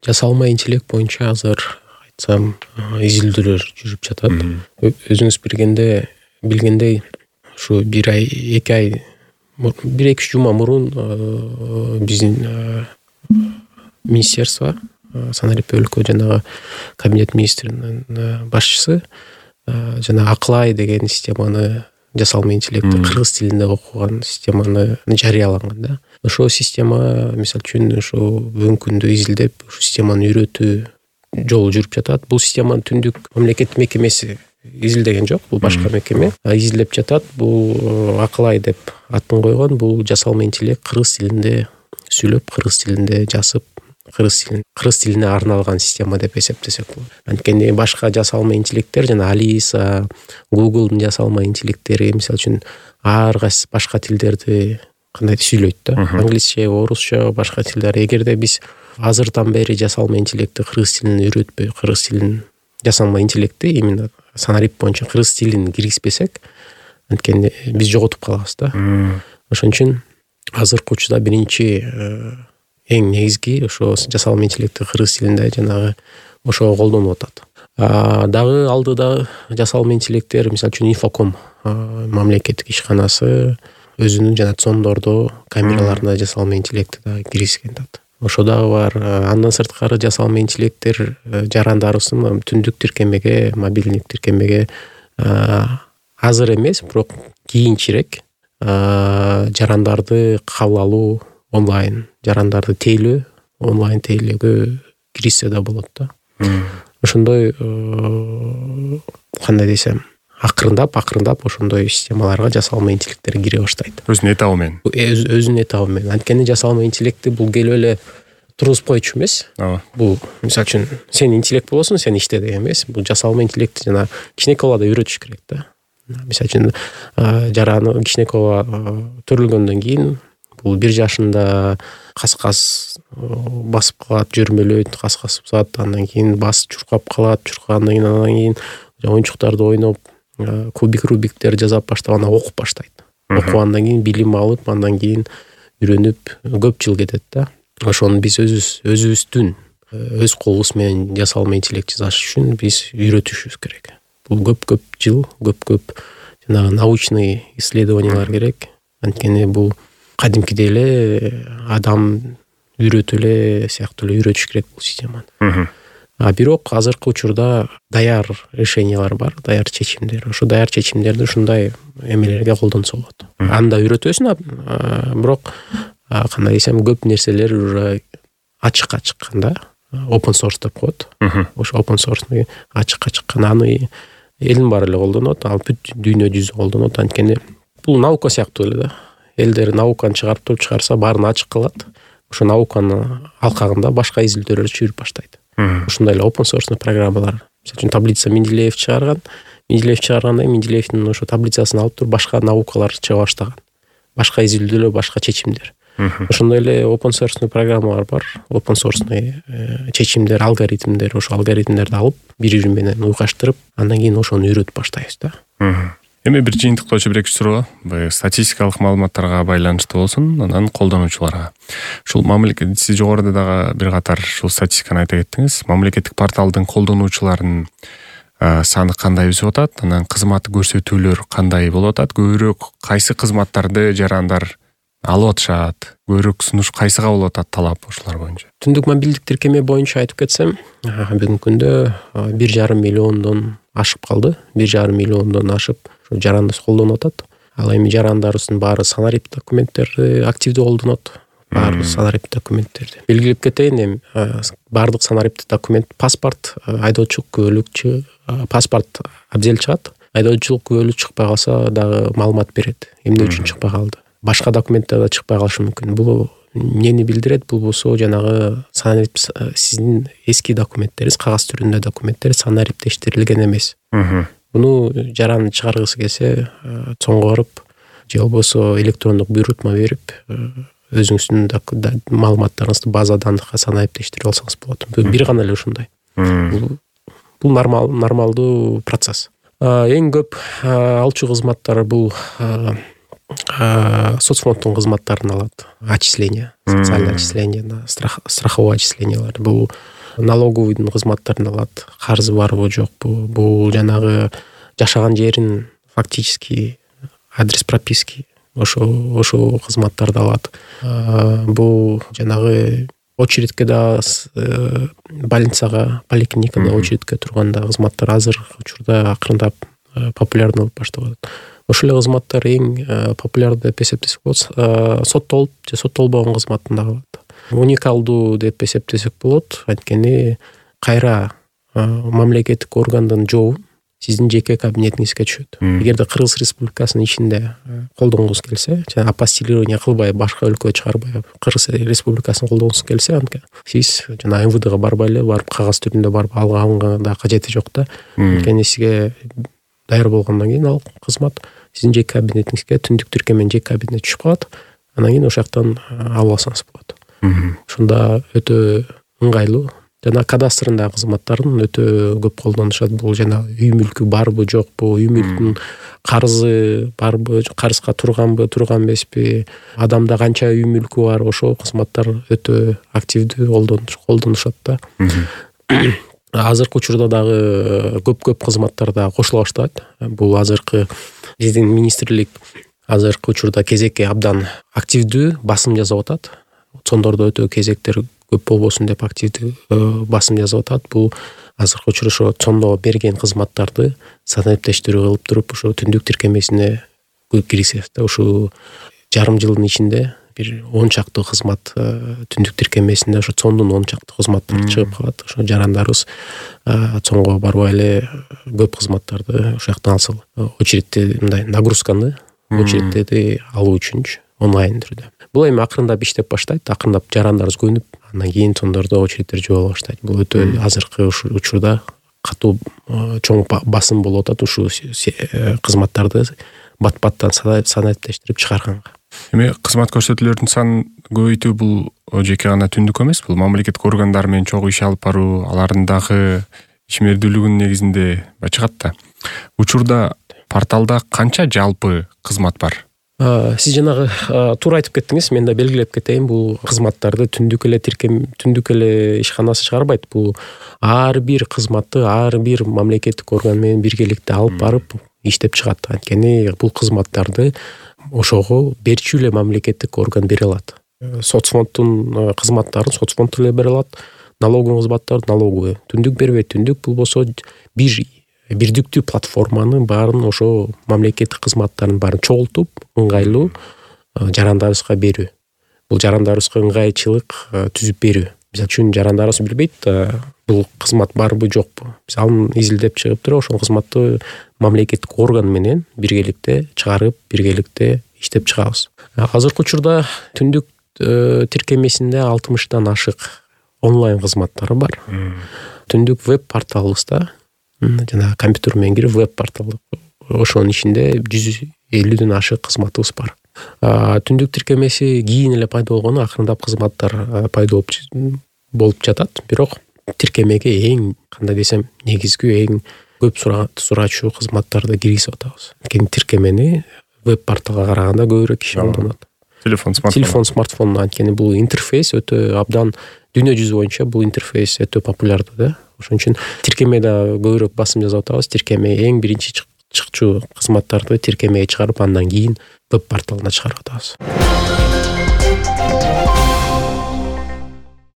жасалма интеллект боюнча азыр айтсам изилдөөлөр жүрүп жатат. Өзүңүз билгендей ушу 1-2 ай 1-2 жума мурун биздин министерство санарип өлкө жанагы кабинет министринин башчысы жана Акылай деген системаны жасалма интеллектти кыргыз тилинде окуган системаны жарыялаган да. Ошол система мисалы үчүн ушу бүгүнкү күндө изилдеп ушу системаны үйрөтүү жолу жүрүп жатат. Бул системаны Түндүк мамлекеттик мекемеси изилдеген жок, бул башка мекеме изилдеп жатат. Бул Акылай деп атын койгон. Бул жасалма интеллект кыргыз тилинде сүйлөп, кыргыз тилинде жазып, кыргыз тилине арналган система деп эсептесек болот. Анткени башка жасалма интеллекттер жана Алиса, Google'дун жасалма интеллекттери мисалы үчүн ар кайсы башка тилдерди кандай сүйлөйт да. Англисче, орусча, башка тилдер. Эгерде биз азырдан бери жасалма интеллектти кыргыз тилин үйрөтпөй, кыргыз тилин жасалма интеллектти именно санарип боюнча кыргыз тилин киргизбесек, анткени биз жоготуп калабыз да. Ошон үчүн азыркы учурда биринчи эң негизги ошо жасалма интеллектти кыргыз тилинде жанагы ошого колдонуп атат. Дагы алдыда жасалма интеллекттер мисалы үчүн Инфоком мамлекеттик ишканасы өзүнүн жана цондордо камераларына жасалма интеллектти да киргизген да. Ошо дагы бар. Андан сырткары жасалма интеллекттер жарандарыбыздын түндүк тиркемеге, мобилдик тиркемеге азыр эмес, бирок кийинчерээк жарандарды кабыл алуу онлайн, жарандарды тейлөө, онлайн тейлөөгө киришсе да болот да. Ошондой кандай десем, акырындап ошондой системаларга жасалма интеллекттер кире баштайт. Өзүнүн этабы менен. Өзүнүн этабы менен. Анткени жасалма интеллектти бул келип эле тургузуп койчу эмес. Бул мисалы үчүн сен интеллект болосуң, сен иште деген эмес. Бул жасалма интеллектти жана кичинекей балада үйрөтүш керек да. Мисалы үчүн жараны кичинекей төрөлгөндөн кийин бул 1 жашында кас-кас басып калат, жөрмөлөйт, кас-кас бузат, андан кийин бас чуркап калат, чуркагандан кийин оюнчуктарды ойноп, кубик-рубиктер жасап баштап анан окуп баштайт. Окугандан кийин билим алып, андан кийин үйрөнүп көп жыл кетет да. Ошону биз өзүбүздүн өз колубуз менен жасалма интеллект жасаш үчүн биз үйрөтүшүбүз керек. Бул көп жыл, көп жанагы научный исследованиялар керек. Анткени бул кадимкидей эле адам үйрөтүп эле сыяктуу эле үйрөтүш керек бул системаны. Бирок азыркы учурда даяр решениялар бар, даяр чечимдер. Ошо даяр чечимдерди ушундай эмелерге колдонсо болот. Анда үйрөтөсүң, бирок кандай десем, көп нерселер уже ачыкка чыккан да. Open source деп коет. Ошо open source ачыкка чыккан, аны элдин баары эле колдонот, ал бүт дүйнө жүзү колдонот. Анткени бул наука сыяктуу эле да. Элдер науканы чыгарса, баарын ачык кылат. Ошо науканын алкагында башка изилдөөлөр жүрүп баштайт. Ушундай эле open source программалар. Мисалы үчүн таблица Менделеев чыгарганда Менделеевдин ошо таблицасын алып туруп башка наукалар чыга баштаган. Башка изилдөөлөр, башка чечимдер. Ошондой эле open source программалар бар. Open source чечимдер, алгоритмдер, ошо алгоритмдерди алып, бири менен уйгаштырып, андан кийин ошону үйрөтүп баштайбыз да. Эми бир жыйынтыктоочу бир-эки суроо, статистикалык маалыматтарга байланыштуу болсун, анан колдонуучуларга. Ушул мамлекет, сиз жогоруда дагы бир катар ушул статистиканы айта кеттиңиз. Мамлекеттик порталдын колдонуучуларынын саны кандай өсүп атат, анан кызмат көрсөтүүлөр кандай болуп атат, көбүрөөк кайсы кызматтарды жарандар алып атышат, көбүрөөк сунуш кайсыга болуп атат талап ошолор боюнча? Түндүк мобилдик тиркеме боюнча айтып кетсем, бүгүнкү күндө 1,5 миллиондон ашып калды. 1,5 миллиондон ашып жаранды колдонуп атат. Ал эми жарандарыбыздын баары санарип документтерди активдүү колдонот. Баары санарип документтерди. Белгилеп кетейин, эми баардык санарип документ, паспорт, айдоочулук күбөлүкчү, паспорт абзел чыгат. Айдоочулук күбөлүк чыкпай калса дагы маалымат берет. Эмне үчүн чыкпай калды? Башка документтер да чыкпай калышы мүмкүн. Бул эмнени билдирет? Бул болсо жанагы санарип сиздин эски документтериңиз, кагаз түрүндө документтер санариптештирилген эмес. Буну жаран чыгаргысы келсе, чоңго барып, же болбосо электрондук буйрутма берип, өзүңүздүн маалыматтарыңызды база данныхка санариптештирип алсаңыз болот. Бир гана эле ушундай. Бул нормалдуу процесс. Эң көп алчу кызматтар бул соцфонддун кызматтарын алат. Отчисление, социальное отчисление, страховое отчислениялар. Бул налоговыйдын кызматтарын алат, карзы барбы жокпу, бул жанагы жашаган жерин фактически адрес прописки ошо кызматтарды алат. Бул жанагы очередке да больницага, поликлиникада очередке турганда кызматтар азыркы учурда акырындап популярный болуп баштап атат. Ошол эле кызматтар эң популярдуу деп эсептесек болот. Соттолуп же соттолбогон кызматтын дагы бар. Уникалдуу деп эсептесек болот. Анткени кайра мамлекеттик органдын жообун сиздин жеке кабинетиңизге түшөт. Эгерде Кыргыз Республикасынын ичинде колдонгуңуз келсе, жана апостилирование кылбай, башка өлкөгө чыгарбай, Кыргыз Республикасын колдонгуңуз келсе, сиз жана МВДга барбай эле барып кагаз түрүндө барып алганга да кажети жок да. Анткени сизге даяр болгондон кийин ал кызмат сиздин жеке кабинетиңизге түндүк тиркеменин жеке кабинетине түшүп калат. Анан кийин ошол жактан алып алсаңыз болот. Ошондо өтө ыңгайлуу. Жана кадастрындагы кызматтарын өтө көп колдонушат. Бул жана үй мүлкү барбы жокпу, үй мүлкүнүн карзы барбы, карызга турганбы, турган эмеспи, адамда канча үй мүлкү бар, ошол кызматтар өтө активдүү колдонушат да. Азыркы учурда дагы көп кызматтар да кошула баштайт. Бул азыркы биздин министрлик азыркы учурда кезекке абдан активдүү басым жасап атат. Сондордо өтө кезектер көп болбосун деп активдүү басым жасап атат. Бул азыркы учурда ошо цондо берген кызматтарды санариптештирүү кылып туруп, ошо түндүк тиркемесине киргизет да. Ошо жарым жылдын ичинде бир 10 чакты кызмат түндүк тиркемесинде ошо цондун 10 чакты кызматтары чыгып калат. Ошо жарандарыбыз цонго барбай эле көп кызматтарды ошол жактан алса, очередте мындай нагрузканы, очередтерди алуу үчүнчү онлайн түрдө. Бул эми акырындап иштеп баштайт, акырындап жарандарыбыз көнүп, андан кийин сондордо очередтер жабыла баштайт. Бул өтө азыркы учурда катуу чоң басым болуп атат ушул кызматтарды бат-баттан санариптештирип чыгарганга. Эми кызмат көрсөтүүлөрдүн санын көбөйтүү бул жеке гана түндүк эмес, бул мамлекеттик органдар менен чогуу иш алып баруу, алардын дагы ишмердүүлүгүнүн негизинде чыгат да. Учурда порталда канча жалпы кызмат бар? Сиз жанагы туура айтып кеттиңиз, мен да белгилеп кетейин. Бул кызматтарды түндүк эле ишканасы чыгарбайт. Бул ар бир кызматты ар бир мамлекеттик орган менен биргеликте алып барып иштеп чыгат. Анткени бул кызматтарды ошого берчү эле мамлекеттик орган бере алат. Соцфонддун кызматтарын соцфонд эле бере алат. Налоговый кызматтарды налоговый. Түндүк бербейт. Түндүк болбосо бирдиктүү платформанын баарын ошо мамлекеттик кызматтардын баарын чогултуп, ыңгайлуу жарандарыбызга берүү. Бул жарандарыбызга ыңгайчылык түзүп берүү. Мисалы үчүн жарандарыбыз билбейт бул кызмат барбы жокпу. Биз аны изилдеп чыгып туруп, ошол кызматты мамлекеттик орган менен биргеликте чыгарып, биргеликте иштеп чыгабыз. Азыркы учурда түндүк тиркемесинде 60 ашык онлайн кызматтары бар. Түндүк веб порталыбызда жана компьютер менен кирип веб портал, ошонун ичинде 150 ашык кызматыбыз бар. Түндүк тиркемеси кийин эле пайда болгону, акырындап кызматтар пайда болуп жатат. Бирок тиркемеге эң, кандай десем, негизги эң көп сурачу кызматтарды киргизип атабыз. Анткени тиркемени веб порталга караганда көбүрөөк киши колдонот. Телефон, смартфон, анткени бул интерфейс өтө абдан, дүйнө жүзү боюнча бул интерфейс өтө популярдуу да. Ошон үчүн тиркемеде көбүрөөк басым жасап атабыз. Тиркеме эң биринчи чыкчу кызматтарды тиркемеге чыгарып, андан кийин веб порталына чыгарып атабыз.